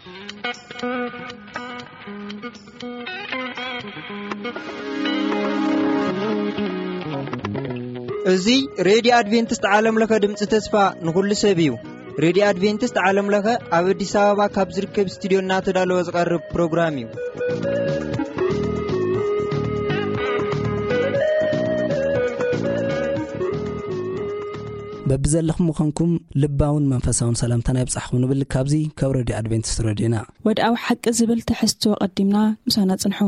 እዚ ሬድዮ ኣድቬንቲስት ዓለም ለኸ ድምፂ ተስፋ ንኹሉ ሰብ እዩ። ሬድዮ ኣድቬንቲስት ዓለም ለኸ ኣብ ኣዲስ ኣበባ ካብ ዝርከብ ስቱዲዮ እናተዳለወ ዝቐርብ ፕሮግራም እዩ። በብዘለኹም ምዃንኩም ልባውን መንፈሳውን ሰላምታና ይብጻሕኩም ንብል። ካብዚ ካብ ሬድዮ ኣድቬንቲስት ሬድዮና። ወድኣዊ ሓቂ ዝብል ትሕዝቶ ቀዲምና ምሳና ጽንሑ።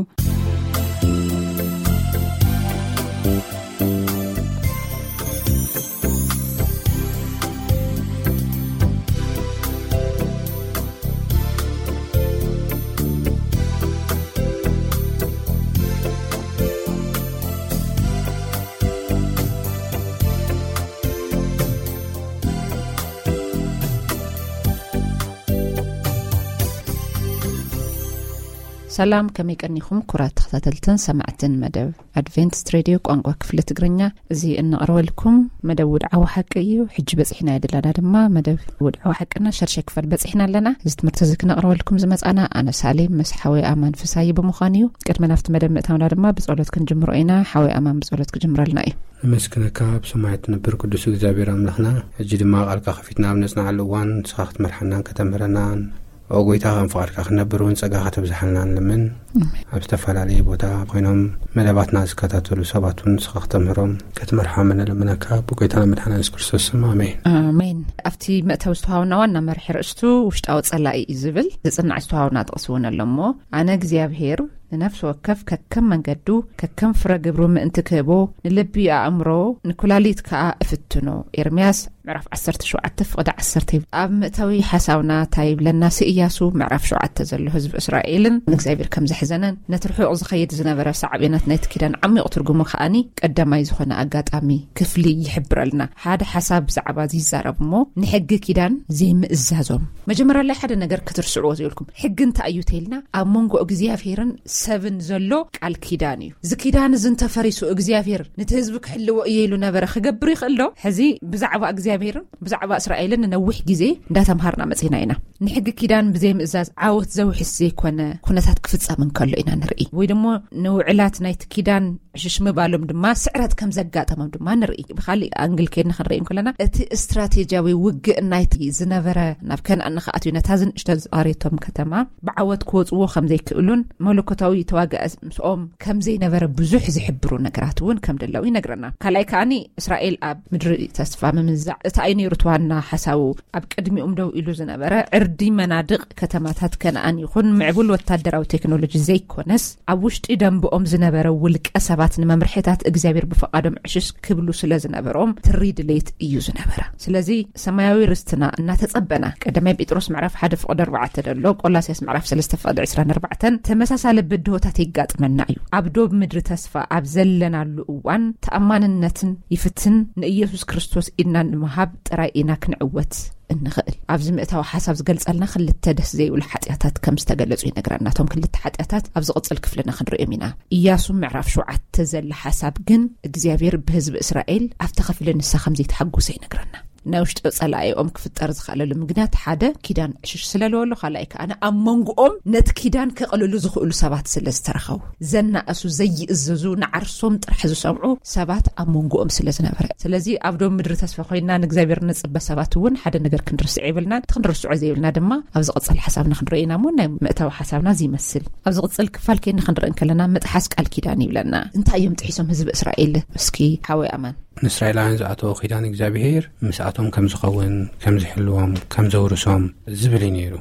ሰላም፣ ከመይ ቀኒኹም ክቡራት ተኸታተልትን ሰማዕትን መደብ ኣድቬንቲስት ሬድዮ ቋንቋ ክፍሊ ትግርኛ? እዚ እነቕርበልኩም መደብ ውድዓዊ ሓቂ እዩ። ሕጂ በጺሕና የድላና ድማ መደብ ውድዓዊ ሓቅና ሸርሸ ክፋል በጺሕና ኣለና። እዚ ትምህርቲ እዚ ክነቕርበልኩም ዝመጻና ኣነ ሳሌም ምስ ሓወይ ኣማን ፍሳይ ብምዃን እዩ። ቅድሚ ናብቲ መደብ ምእታውና ድማ ብጸሎት ክንጅምሮ ኢና። ሓወይ ኣማን ብጸሎት ክጅምረልና እዩ። ነመስግነካ ብሰማይ ትነብር ቅዱስ እግዚኣብሔር ኣምላኽና። ሕጂ ድማ ቃልካ ከፊትና ኣብ ነጽናዓሉ እዋን ንስኻ ክትመርሓናን ከተምህረናን፣ ኦ ጎይታ፣ ከም ፍቓድካ ክንነብር እውን ጸጋ ከተብዝሓልና ንልምን። ኣሜን። ኣብ ዝተፈላለየ ቦታ ኮይኖም መደባትና ዝከታተሉ ሰባት እውን ንስኻ ከተምህሮም፣ ክትመርሖም ንልምነካ ብጎይታና መድሓና የሱስ ክርስቶስ ስም፣ ኣሜን። ኣሜን። ኣብቲ መእተዊ ዝተዋሃብና ዋና መርሒ ርእስቱ ውሽጣዊ ጸላኢ እዩ ዝብል ዝጽናዕ ዝተዋሃብና ጥቕሲ እውን ኣሎ እሞ፣ ኣነ እግዚኣብሔር ንነፍሲ ወከፍ ከከም መንገዱ ከከም ፍረ ግብሩ ምእንቲ ክህቦ ንልቢ ኣእምሮ ንኩላሊት ከኣ እፍትኖ። ኤርምያስ ምዕራፍ ዓሰርተ ሸውዓተ ፍቕዲ ዓሰርተ። ኣብ መእተዊ ሓሳብና እንታይ ይብለና? ስእያሱ ምዕራፍ ሸውዓተ ዘሎ ህዝቢ እስራኤልን ንእግዚኣብሔር ከም ዘሕዘነን ነቲ ርሑቕ ዝኸይድ ዝነበረ ሳዕቤናት ናይቲ ኪዳን ዓሚቕ ትርጉሙ ከኣኒ ቀዳማይ ዝኾነ ኣጋጣሚ ክፍሊ ይሕብረልና። ሓደ ሓሳብ ብዛዕባ እዚ ይዛረብ እሞ ንሕጊ ኪዳን ዘይምእዛዞም። መጀመርያ ላይ ሓደ ነገር ክትርስዕዎ ዘይብልኩም። ሕጊ እንታይ እዩ ተይልና? ኣብ መንጎ እግዚኣብሔርን ሰብን ዘሎ ቃል ኪዳን እዩ። እዚ ኪዳን እዚ እንተፈሪሱ እግዚኣብሔር ነቲ ህዝቢ ክሕልዎ እየ ኢሉ ነበረ ክገብር ይኽእል ዶ? ሕዚ ብዛዕባ እግዚኣብሔርን ብዛዕባ እስራኤልን ንነዊሕ ግዜ እንዳተምሃርና መጺና ኢና። ንሕጊ ኪዳን ብዘይምእዛዝ ዓወት ዘውሕስ ዘይኮነ ኩነታት ክፍጸም እንከሎ ኢና ንርኢ። ወይ ደሞ ንውዕላት ናይቲ ኪዳን ዕሽሽ ምባሎም ድማ ስዕረት ከም ዘጋጠሞም ድማ ንርኢ። ብኻሊእ ኣንግል ከይድና ክንርኢ እንከለና፣ እቲ ስትራቴጂያዊ ውግእ ናይቲ ዝነበረ ናብ ከነኣን ንኽኣትዩ ነታ ዝንእሽቶ ዝቐሬቶም ከተማ ብዓወት ክወጽዎ ከም ዘይክእሉን መለኮታዊ ተዋጋኢ ምስኦም ከም ዘይነበረ ብዙሕ ዝሕብሩ ነገራት እውን ከም ደለዉ ይነግረና። ካልኣይ ከኣኒ እስራኤል ኣብ ምድሪ ተስፋ ምምዛዕ እቲ ኣይነይሩ እቲ ዋና ሓሳቡ ኣብ ቅድሚኦም ደው ኢሉ ዝነበረ ዕርዲ መናድቕ ከተማታት ከነኣን ይኹን ምዕቡል ወታደራዊ ቴክኖሎጂ ዘይኮነስ ኣብ ውሽጢ ደንብኦም ዝነበረ ውልቀ ሰባት ንመምርሒታት እግዚኣብሔር ብፈቓዶም ዕሽሽ ክብሉ ስለ ዝነበሮም ትሪ ድሌት እዩ ዝነበረ። ስለዚ ሰማያዊ ርስትና እናተጸበና ቀዳማይ ጴጥሮስ ምዕራፍ ሓደ ፍቕዲ ኣርባዕተ ደሎ ቆላስያስ ምዕራፍ ሰለስተ ፍቕዲ ዕስራን ኣርባዕተን ተመሳሳሊ ብድሆታት ይጋጥመና እዩ። ኣብ ዶብ ምድሪ ተስፋ ኣብ ዘለናሉ እዋን ተኣማንነትን ይፍትን ንኢየሱስ ክርስቶስ ኢድና ንምሃብ ጥራይ ኢና ክንዕወት እንኽእል። ኣብዚ ምእታዊ ሓሳብ ዝገልጸልና ክልተ ደስ ዘይብሉ ሓጢኣታት ከም ዝተገለጹ ይነግረና። እቶም ክልተ ሓጢኣታት ኣብ ዝቕጽል ክፍልና ክንርእዮም ኢና። ኢያሱ ምዕራፍ ሸውዓተ ዘለ ሓሳብ ግን እግዚኣብሔር ብህዝቢ እስራኤል ኣብቲ ክፍሊ ንሳ ከም ዘይተሓጎሰ ይነግረና። ናይ ውሽጢ ጸላኢኦም ክፍጠር ዝኽእለሉ ምክንያት ሓደ ኪዳን ዕሽሽ ስለ ዝበሉ፣ ካልኣይ ከኣ ኣብ መንጎኦም ነቲ ኪዳን ከቕልሉ ዝኽእሉ ሰባት ስለ ዝተረኸቡ፣ ዘናእሱ፣ ዘይእዘዙ፣ ንዓርሶም ጥራሕ ዝሰምዑ ሰባት ኣብ መንጎኦም ስለ ዝነበረ። ስለዚ ኣብ ዶብ ምድሪ ተስፋ ኮይና ንእግዚኣብሔር ንጽበ ሰባት እውን ሓደ ነገር ክንርስዕ የብልናን። እቲ ክንርስዖ ዘይብልና ድማ ኣብ ዝቕጽል ሓሳብና ክንርኢ ኢና እሞ ናይ ምእታዊ ሓሳብና እዚ ይመስል። ኣብ ዝቕጽል ክፋል ከይና ክንርኢ እንከለና ምጥሓስ ቃል ኪዳን ይብለና። እንታይ እዮም ጥሒሶም ህዝቢ እስራኤል? እስኪ ሓወይ ኣማን። ንእስራኤላውያን ዝኣተወ ኪዳን እግዚኣብሔር ምስኣቶም ከም ዝኸውን፣ ከም ዝሕልዎም፣ ከም ዘውርሶም ዝብል እዩ ነይሩ።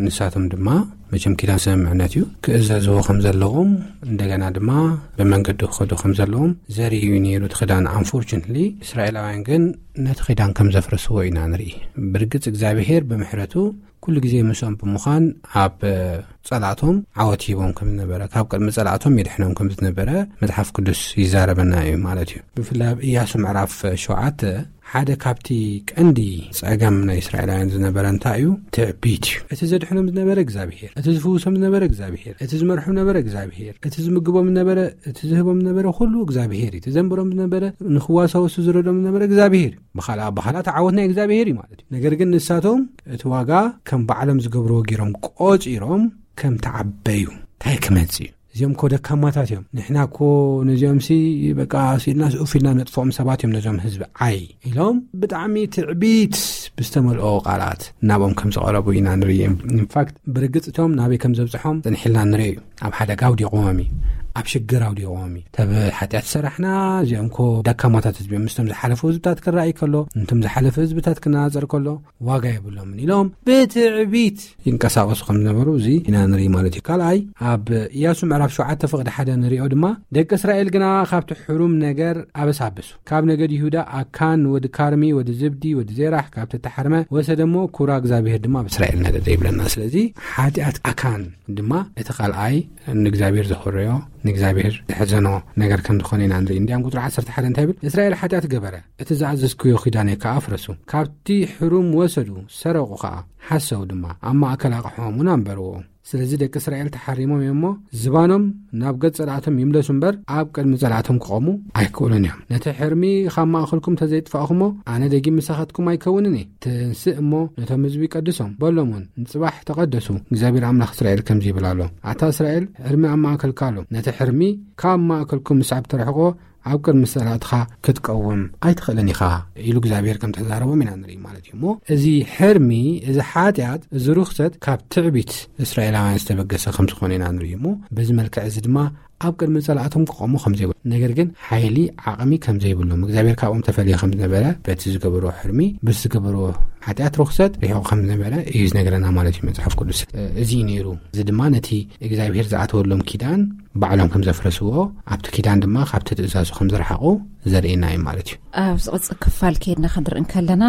ንሳቶም ድማ መቸም ኪዳን ስምምዕነት እዩ፣ ክእዘዝዎ ከም ዘለዎም፣ እንደገና ድማ ብመንገዱ ክኸዱ ከም ዘለዎም ዘርኢ እዩ ነይሩ እቲ ኪዳን። ኣንፎርቹነትሊ እስራኤላውያን ግን ነቲ ኪዳን ከም ዘፍረስዎ ኢና ንርኢ። ብርግጽ እግዚኣብሔር ብምሕረቱ ኩሉ ግዜ ምስኦም ብምዃን ኣብ ጸላእቶም ዓወት ሂቦም ከም ዝነበረ፣ ካብ ቅድሚ ጸላእቶም የድሕኖም ከም ዝነበረ መጽሓፍ ቅዱስ ይዛረበና እዩ ማለት እዩ። ብፍላይ ኣብ ኢያሱ ምዕራፍ ሸውዓተ ሓደ ካብቲ ቀንዲ ጸገም ናይ እስራኤላውያን ዝነበረ እንታይ እዩ? ትዕቢት እዩ። እቲ ዘድሕኖም ዝነበረ እግዚኣብሔር፣ እቲ ዝፍውሶም ዝነበረ እግዚኣብሔር፣ እቲ ዝመርሖም ነበረ እግዚኣብሔር፣ እቲ ዝምግቦም ነበረ፣ እቲ ዝህቦም ነበረ ኩሉ እግዚኣብሔር እዩ። እቲ ዘንበሮም ዝነበረ፣ ንኽዋሳወሱ ዝረዶም ነበረ እግዚኣብሔር እዩ። ብኻልኣ ኣባኻላ ተዓወት ናይ እግዚኣብሔር እዩ ማለት እዩ። ነገር ግን ንሳቶም እቲ ዋጋ ከም ባዕሎም ዝገብርዎ ገይሮም ቆጺሮም ከም ተዓበዩ እንታይ ክመጽእ እዩ? እዚኦም እኮ ደካማታት እዮም። ንሕና እኮ ነዚኦም ሲ በቃ ሲልና ስኡፍ ኢልና ነጥፍኦም ሰባት እዮም ነዞም ህዝቢ ዓይ ኢሎም ብጣዕሚ ትዕቢት ብዝተመልኦ ቃላት ናብኦም ከም ዝቐረቡ ኢና ንርኢ። ኢንፋክት ብርግጽ እቶም ናበይ ከም ዘብጽሖም ጽንሕልና ንርኢ እዩ። ኣብ ሓደጋ ኣውዲቕዎም እዩ። ኣብ ሽግር ኣውዲቕዎም እዩ። ተብ ሓጢኣት ሰራሕና እዚኦም እኮ ደካማታት ህዝቢ እዮም። ምስቶም ዝሓለፉ ህዝብታት ክረኣይ ከሎ፣ እንቶም ዝሓለፈ ህዝብታት ክነጻጸር ከሎ ዋጋ የብሎምን ኢሎም ብትዕቢት ይንቀሳቐሱ ከም ዝነበሩ እዚ ኢና ንርኢ ማለት እዩ። ካልኣይ ኣብ ኢያሱ ምዕራፍ ሸውዓተ ፍቕዲ ሓደ ንሪኦ ድማ ደቂ እስራኤል ግና ካብቲ ሕሩም ነገር ኣበሳብሱ። ካብ ነገድ ይሁዳ ኣካን ወዲ ካርሚ ወዲ ዝብዲ ወዲ ዜራሕ ካብ ተተሓርመ ወሰደሞ ኩራ እግዚኣብሔር ድማ ኣብ እስራኤል ነደደ ይብለና። ስለዚ ሓጢኣት ኣካን ድማ እቲ ካልኣይ ንእግዚኣብሔር ዘኽረዮ ንእግዚኣብሔር ዘሕዘኖ ነገር ከም ዝኾነ ኢና ንርኢ። እንዲያም ቁጥሪ ዓሰርተ ሓደ እንታይ ይብል? እስራኤል ሓጢኣት ገበረ፣ እቲ ዝኣዘዝክዮ ኪዳነይ ከኣ ኣፍረሱ። ካብቲ ሕሩም ወሰዱ፣ ሰረቑ ኸኣ፣ ሓሰው ድማ፣ ኣብ ማእከል ኣቕሖም እውን ኣንበርዎ። ስለዚ ደቂ እስራኤል ተሓሪሞም እዮም እሞ፣ ዝባኖም ናብ ገጽ ጸላእቶም ይምለሱ እምበር፣ ኣብ ቅድሚ ጸላእቶም ክቖሙ ኣይክእሉን እዮም። ነቲ ሕርሚ ካብ ማእከልኩም ተዘይጥፋእኹሞ፣ ኣነ ደጊም ምሳኻትኩም ኣይከውንን እየ። ትንስእ እሞ ነቶም ህዝቢ ቀድሶም፣ በሎም እውን፣ ንጽባሕ ተቐደሱ፣ እግዚኣብሔር ኣምላኽ እስራኤል ከምዚ ይብል ኣሎ፣ ኣታ እስራኤል፣ ሕርሚ ኣብ ማእከልካ ኣሎ። ነቲ ሕርሚ ካብ ማእከልኩም ምስዓብ ተርሕቆ፣ ኣብ ቅድሚ ጸላእትኻ ክትቀውም ኣይትኽእልን ኢኻ ኢሉ እግዚኣብሔር ከም ተዛረቦም ኢና ንርኢ ማለት እዩ። እሞ እዚ ሕርሚ፣ እዚ ሓጢኣት፣ እዚ ርኽሰት ካብ ትዕቢት እስራኤላውያን ዝተበገሰ ከም ዝኾነ ኢና ንርኢ። እሞ በዚ መልክዕ እዚ ድማ ኣብ ቅድሚ ጸላእቶም ክቆሙ ከም ዘይብሉ፣ ነገር ግን ሓይሊ ዓቕሚ ከም ዘይብሎም፣ እግዚኣብሔር ካብኦም ተፈልየ ከም ዝነበረ፣ በቲ ዝገበርዎ ሕርሚ፣ በቲ ዝገበርዎ ሓጢኣት ርኽሰት ርሒቑ ከም ዝነበረ እዩ ዝነግረና ማለት እዩ መጽሓፍ ቅዱስ። እዚ እዩ ነይሩ። እዚ ድማ ነቲ እግዚኣብሔር ዝኣተወሎም ኪዳን ባዕሎም ከም ዘፍረስዎ፣ ኣብቲ ኪዳን ድማ ካብቲ ትእዛዙ ከም ዝረሓቑ ዘርእየና እዩ ማለት እዩ። ኣብ ዝቕጽል ክፋል ከይድና ክንርኢ እንከለና፣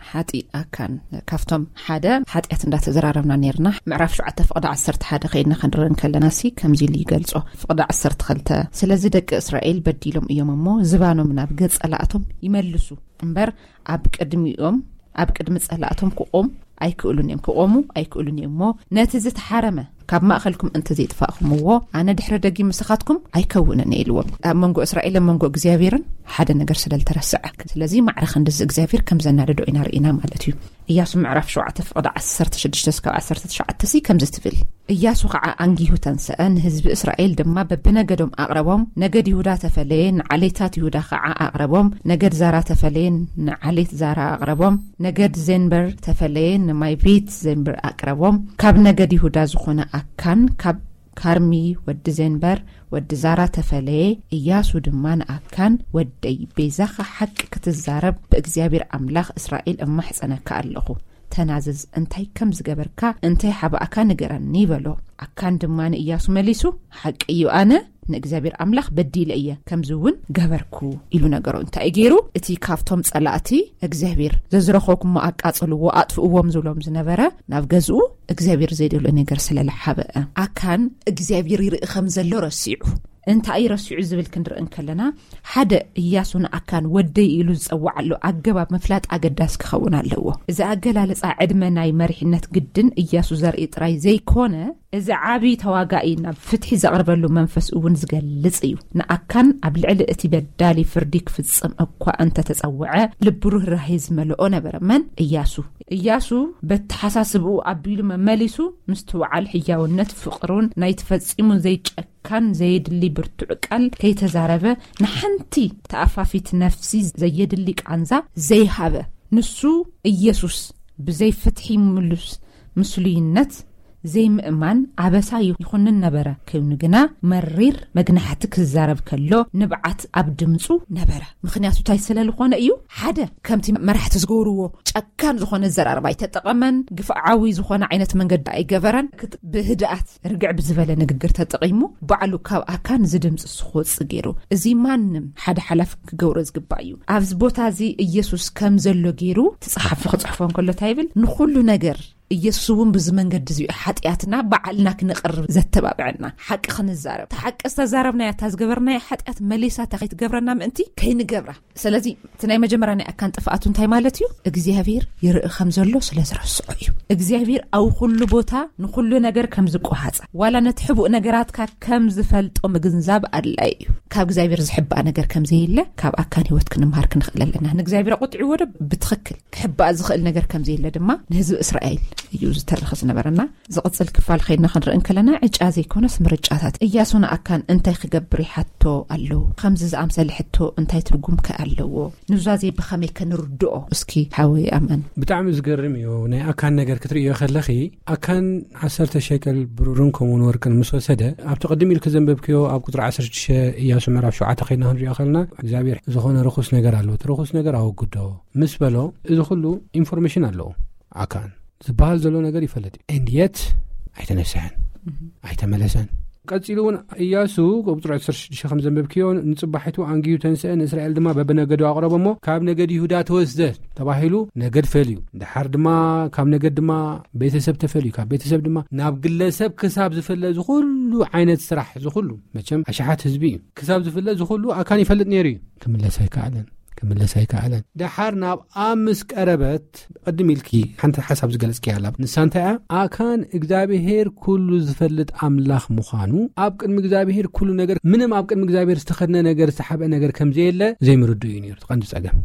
ሓጢእ ኣካን ካብቶም ሓደ ሓጢኣት እንዳተዘራረብና ነርና። ምዕራፍ ሸውዓተ ፍቕዲ ዓሰርተ ሓደ ከይድና ክንርኢ እንከለና ሲ ከምዚ ኢሉ ይገልጾ። ፍቕዲ ዓሰርተ ክልተ፣ ስለዚ ደቂ እስራኤል በዲሎም እዮም እሞ ዝባኖም ናብ ገጽ ጸላእቶም ይመልሱ እምበር ኣብ ቅድሚኦም፣ ኣብ ቅድሚ ጸላእቶም ክቖም ኣይክእሉን እዮም፣ ክቖሙ ኣይክእሉን እዮም። እሞ ነቲ ዝተሓረመ ካብ ማእከልኩም እንተ ዘይጥፋእኹምዎ፣ ኣነ ድሕሪ ደጊም ምሳኻትኩም ኣይከውንን እየ ኢልዎም። ኣብ መንጎ እስራኤልን መንጎ እግዚኣብሔርን ሓደ ነገር ስለ ዝተረስዐ። ስለዚ ማዕረ ክንድዚ እግዚኣብሔር ከም ዘናደዶ ኢና ርኢና ማለት እዩ። ኢያሱ ምዕራፍ ሸውዓተ ፍቕዲ ዓሰርተ ሽዱሽተ እስካብ ዓሰርተ ትሽዓተ ሲ ከምዚ ትብል። ኢያሱ ኸዓ ኣንጊሁ ተንስአ፣ ንህዝቢ እስራኤል ድማ በብነገዶም ኣቕረቦም። ነገድ ይሁዳ ተፈለየ፣ ንዓሌታት ይሁዳ ኸዓ ኣቕረቦም። ነገድ ዛራ ተፈለየ፣ ንዓሌት ዛራ ኣቕረቦም። ነገድ ዜንበር ተፈለየ፣ ንማይ ቤት ዜንበር ኣቕረቦም። ካብ ነገድ ይሁዳ ዝኾነ ኣካን፣ ካብ ካርሚ ወዲ ዜንበር ወዲ ዛራ ተፈለየ። ኢያሱ ድማ ንኣካን፣ ወደይ፣ ቤዛኻ ሓቂ ክትዛረብ ብእግዚኣብሔር ኣምላኽ እስራኤል እማሕጸነካ ኣለኹ። ተናዘዝ፣ እንታይ ከም ዝገበርካ፣ እንታይ ሓባእካ ንገረኒ በሎ። ኣካን ድማ ንኢያሱ መሊሱ፣ ሓቂ እዩ፣ ኣነ ንእግዚኣብሔር ኣምላኽ በዲለ እየ፣ ከምዚ እውን ገበርኩ ኢሉ ነገሮ። እንታይ እዩ ገይሩ? እቲ ካብቶም ጸላእቲ እግዚኣብሔር፣ "ዘዝረኸብኩሞ ኣቃጽልዎ፣ ኣጥፍእዎም" ዝብሎም ዝነበረ፣ ናብ ገዝኡ እግዚኣብሔር ዘይደልዮ ነገር ስለ ዝሓበአ፣ ኣካን እግዚኣብሔር ይርኢ ከም ዘሎ ረሲዑ። እንታይ እዩ ረሲዑ ዝብል ክንርኢ እንከለና፣ ሓደ፣ ኢያሱ ንኣካን ወደይ ኢሉ ዝጸውዓሉ ኣገባብ ምፍላጥ ኣገዳሲ ክኸውን ኣለዎ። እዚ ኣገላልጻ ዕድመ ናይ መሪሕነት ግድን ኢያሱ ዘርኢ ጥራይ ዘይኮነ፣ እዚ ዓቢ ተዋጋኢ ናብ ፍትሒ ዘቕርበሉ መንፈስ እውን ዝገልጽ እዩ። ንኣካን ኣብ ልዕሊ እቲ በዳሊ ፍርዲ ክፍጽም እኳ እንተተጸውዐ፣ ልቡ ርህራሄ ዝመልኦ ነበረ። መን? ኢያሱ። ኢያሱ በተሓሳስብኡ ኣቢሉ መመሊሱ ምስትውዓል፣ ሕያውነት፣ ፍቕሩን ናይ ተፈጺሙ ዘይጨካን ዘየድሊ ብርቱዕ ቃል ከይተዛረበ፣ ንሓንቲ ተኣፋፊት ነፍሲ ዘየድሊ ቃንዛ ዘይሃበ፣ ንሱ ኢየሱስ ብዘይ ፍትሒ ምሉስ ምስሉይነት ዘይምእማን ኣበሳ ይኹንን ነበረ። ኮይኑ ግና መሪር መግናሕቲ ክዛረብ ከሎ ንብዓት ኣብ ድምፁ ነበረ። ምኽንያቱ እንታይ ስለ ዝኾነ እዩ? ሓደ፣ ከምቲ መራሕቲ ዝገብርዎ ጨካን ዝኾነ ኣዘራርባ ኣይተጠቐመን። ግፍዓዊ ዝኾነ ዓይነት መንገዲ ኣይገበረን። ክት-፣ ብህድኣት ርግዕ ብዝበለ ንግግር ተጠቒሙ፣ ባዕሉ ካብ ኣካን እዚ ድምፂ ክወፅእ ገይሩ። እዚ ማንም ሓደ ሓላፊ ክገብሮ ዝግባእ እዩ። ኣብዚ ቦታ እዚ ኢየሱስ ከም ዘሎ ገይሩ እቲ ጸሓፊ ክጽሕፎ እንከሎ እንታይ ይብል? ንኹሉ ነገር ኢየሱስ እውን ብዚ መንገዲ እዚ እዩ ሓጢኣትና ባዕልና ክንቕርብ ዘተባብዐና። ሓቂ ክንዛረብ፣ እታ ሓቂ ዝተዛረብናያ፣ እታ ዝገበርናያ ሓጢኣት መሊሳ እታ ከይትገብረና ምእንቲ ከይንገብራ። ስለዚ እቲ ናይ መጀመርያ ናይ ኣካን ጥፍኣቱ እንታይ ማለት እዩ? እግዚኣብሔር ይርኢ ከም ዘሎ ስለ ዝረስዖ እዩ። እግዚኣብሔር ኣብ ኩሉ ቦታ ንኩሉ ነገር ከም ዝቆሃጻ፣ ዋላ ነቲ ሕቡእ ነገራትካ ከም ዝፈልጦ ምግንዛብ ኣድላይ እዩ። ካብ እግዚኣብሔር ዝሕባእ ነገር ከም ዘየለ ካብ ኣካን ህይወት ክንምሃር ክንኽእል ኣለና። ንእግዚኣብሔር ኣቆጢዕዎ ዶ? ብትኽክል። ክሕባእ ዝኽእል ነገር ከም ዘየለ ድማ ንህዝቢ እስራኤል እዩ ዝተረኸ ዝነበረና። ዝቕጽል ክፋል ከይድና ክንርኢ እንከለና፣ ዕጫ ዘይኮነስ ምርጫታት። እያሱ ንኣካን እንታይ ክገብር ይሓቶ ኣለዉ? ከምዚ ዝኣምሰለ ሕቶ እንታይ ትርጉም ከ ኣለዎ? ኑዛዜ ብኸመይ ከ ንርድኦ? እስኪ ሓወይ ኣማን። ብጣዕሚ ዝገርም እዩ። ናይ ኣካን ነገር ክትርእዮ ከለኺ፣ ኣካን ዓሰርተ ሸከል ብሩርን ከምኡውን ወርቅን ምስ ወሰደ፣ ኣብቲ ቅድም ኢልኪ ዘንበብክዮ ኣብ ቁጽሪ ዓሰርተ ሽዱሽተ እያሱ ምዕራፍ ሸውዓተ ከይድና ክንርእዮ ከለና፣ እግዚኣብሔር ዝኾነ ርኹስ ነገር ኣለዎ፣ እቲ ርኹስ ነገር ኣወግዶ ምስ በሎ፣ እዚ ኩሉ ኢንፎርሜሽን ኣለዎ ኣካን። ዝበሃል ዘሎ ነገር ይፈልጥ እዩ። And yet ኣይተነስሐን፣ ኣይተመለሰን። ቀጺሉ እውን እያሱ ቁጽሪ ዓሰርተ ሽዱሽተ ከም ዘንበብክዮ፣ ንጽባሒቱ ኣንጊሁ ተንስአ፣ ንእስራኤል ድማ በብነገዱ ኣቕረቦ እሞ፣ ካብ ነገድ ይሁዳ ተወስደ ተባሂሉ ነገድ ፈልዩ፣ ድሓር ድማ ካብ ነገድ ድማ ቤተሰብ ተፈልዩ፣ ካብ ቤተሰብ ድማ ናብ ግለሰብ ክሳብ ዝፍለ ዝኹሉ ዓይነት ስራሕ ዝኹሉ፣ መቸም ኣሽሓት ህዝቢ እዩ፣ ክሳብ ዝፍለ ዝኹሉ ኣካን ይፈልጥ ነይሩ እዩ። ክምለስ ኣይከኣለን፣ ክምለስ ኣይከኣለን። ድሓር ናብ ኣብ ምስ ቀረበት፣ ቅድም ኢልኪ ሓንቲ ሓሳብ ዝገለጽኪ ኣላ። ንሳ እንታይ እያ? ኣካን እግዚኣብሔር ኩሉ ዝፈልጥ ኣምላኽ ምዃኑ፣ ኣብ ቅድሚ እግዚኣብሔር ኩሉ ነገር፣ ምንም ኣብ ቅድሚ እግዚኣብሔር ዝተኸድነ ነገር፣ ዝተሓብአ ነገር ከም ዘየለ ዘይምርድኡ እዩ ነይሩ። እቲ ቀንዲ ጸገም።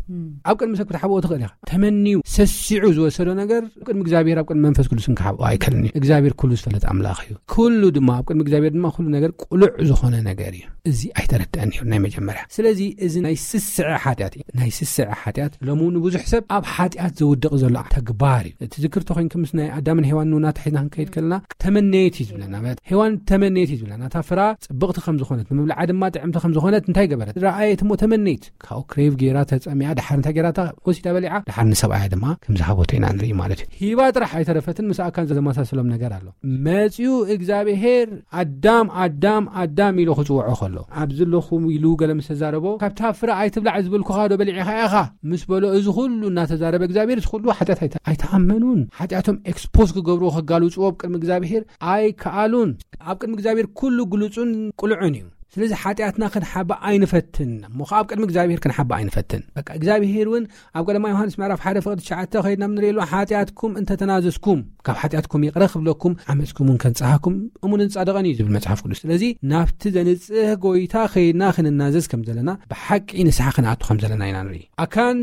ኣብ ቅድሚ ሰብ ክትሓብኦ ትኽእል ኢኻ። ተመንዩ፣ ሰሲዑ ዝወሰዶ ነገር፣ ኣብ ቅድሚ እግዚኣብሔር፣ ኣብ ቅድሚ መንፈስ ቅዱስ ክሓብኦ ኣይከልን እዩ። እግዚኣብሔር ኩሉ ዝፈልጥ ኣምላኽ እዩ። ኩሉ ድማ፣ ኣብ ቅድሚ እግዚኣብሔር ድማ ኩሉ ነገር ቅሉዕ ዝኾነ ነገር እዩ። እዚ ኣይተረድአን ነይሩ ናይ መጀመርያ። ስለዚ እዚ ናይ ስስዐ ሓጢኣት እዩ። ናይ ስስዐ ሓጢኣት ሎሚ እውን ብዙሕ ሰብ ኣብ ሓጢኣት ዘውድቕ ዘሎ ተግባር እዩ። እቲ ዝክር ተኾይንኪ ምስ ናይ ኣዳምን ሄዋን ንውና ተሒዝና ክንከይድ ከለና ተመነየት እዩ ዝብለና። ማለት ሄዋን ተመነየት እዩ ዝብለና። እታ ፍራ ጽብቕቲ ከም ዝኾነት፣ ንምብልዓ ድማ ጥዕምቲ ከም ዝኾነት እንታይ ገበረት? ረኣየት እሞ ተመነየት። ካብኡ ክሬቭ ገይራ ተጸሚኣ፣ ድሓር እንታይ ገይራ? እታ ወሲዳ በሊዓ፣ ድሓር ንሰብኣያ ድማ ከም ዝሃበቶ ኢና ንርኢ ማለት እዩ። ሂባ ጥራሕ ኣይተረፈትን፣ ምስ ኣካን ዘመሳሰሎም ነገር ኣሎ። መጺኡ እግዚኣብሔር ኣዳም፣ ኣዳም፣ ኣዳም ኢሉ ክጽውዖ ከሎ፣ ኣብዚ ኣለኹ ኢሉ ገለ ምስ ተዛረቦ፣ ካብታ ፍረ ኣይትብላዕ ዝበልኩኻ ዶ በሊዕኻ ኢኻ? ምስ በሎ፣ እዚ ኩሉ እናተዛረበ እግዚኣብሔር፣ እዚ ኩሉ ሓጢኣት ኣይተ-፣ ኣይተኣመኑን። ሓጢኣቶም ኤክስፖዝ ክገብርዎ፣ ከጋልጽዎ ኣብ ቅድሚ እግዚኣብሔር ኣይከኣሉን። ኣብ ቅድሚ እግዚኣብሔር ኩሉ ግሉጹን ቅሉዕን እዩ። ስለዚ ሓጢኣትና ክንሓብእ ኣይንፈትን። እሞ ኸዓ ኣብ ቅድሚ እግዚኣብሔር ክንሓብእ ኣይንፈትን። በቃ እግዚኣብሔር እውን ኣብ ቀዳማይ ዮሃንስ ምዕራፍ ሓደ ፍቕዲ ትሽዓተ ከይድና ንርእየሉ፣ ሓጢኣትኩም እንተተናዘዝኩም፣ ካብ ሓጢኣትኩም ይቕረ ክብለኩም፣ ዓመፅኩም እውን ከንጽሃኩም እሙንን ጻድቕን እዩ ዝብል መጽሓፍ ቅዱስ። ስለዚ ናብቲ ዘንጽህ ጎይታ ከይድና ክንናዘዝ ከም ዘለና፣ ብሓቂ ንስሓ ክንኣቱ ከም ዘለና ኢና ንርኢ። ኣካን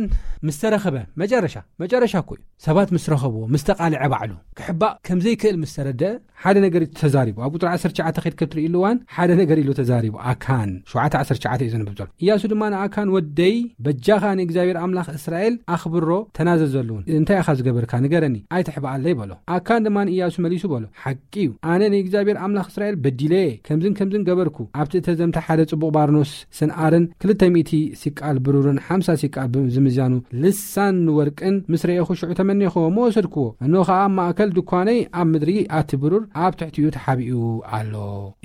ምስ ተረኸበ፣ መጨረሻ፣ መጨረሻ እኮ እዩ። ሰባት ምስ ረኸብዎ፣ ምስ ተቓልዐ ባዕሉ፣ ክሕባእ ከም ዘይክእል ምስ ተረድአ፣ ሓደ ነገር እዩ ተዛሪቡ። ኣብ ቁጽሪ ዓሰርተ ትሽዓተ ከይድ ከትርእይሉ እዋን፣ ሓደ ነገር ኢሉ ተዛሪቡ። ኣካን ሸውዓተ ዓሰርተ ትሽዓተ እዩ ዘንብብ ዘሎ። ኢያሱ ድማ ንኣካን፣ "ወደይ፣ በጃኻ ንእግዚኣብሔር ኣምላኽ እስራኤል ኣኽብሮ፣ ተናዘዘሉ እውን። እንታይ ኢኻ ዝገበርካ? ንገረኒ፣ ኣይትሕባኣለይ" በሎ። ኣካን ድማ ንኢያሱ መሊሱ በሎ፣ "ሓቂ እዩ፣ ኣነ ንእግዚኣብሔር ኣምላኽ እስራኤል በዲለ እየ፣ ከምዝን ከምዝን ገበርኩ። ኣብቲ እተዘምተ ሓደ ጽቡቕ ባርኖስ ስንኣርን ክልተ ሚእቲ ሲቃል ብሩርን ሓምሳ ሲቃል ብ-፣ ዝምዛኑ ልሳን ወርቅን ምስ ረኤኹ፣ ሽዑ ተመኔኽዎ እሞ ወሰድክዎ። እነሆ ኸኣ ኣብ ማእከል ድኳነይ ኣብ ምድሪ ኣቲ ብሩር ኣብ ትሕቲኡ ተሓቢኡ ኣሎ"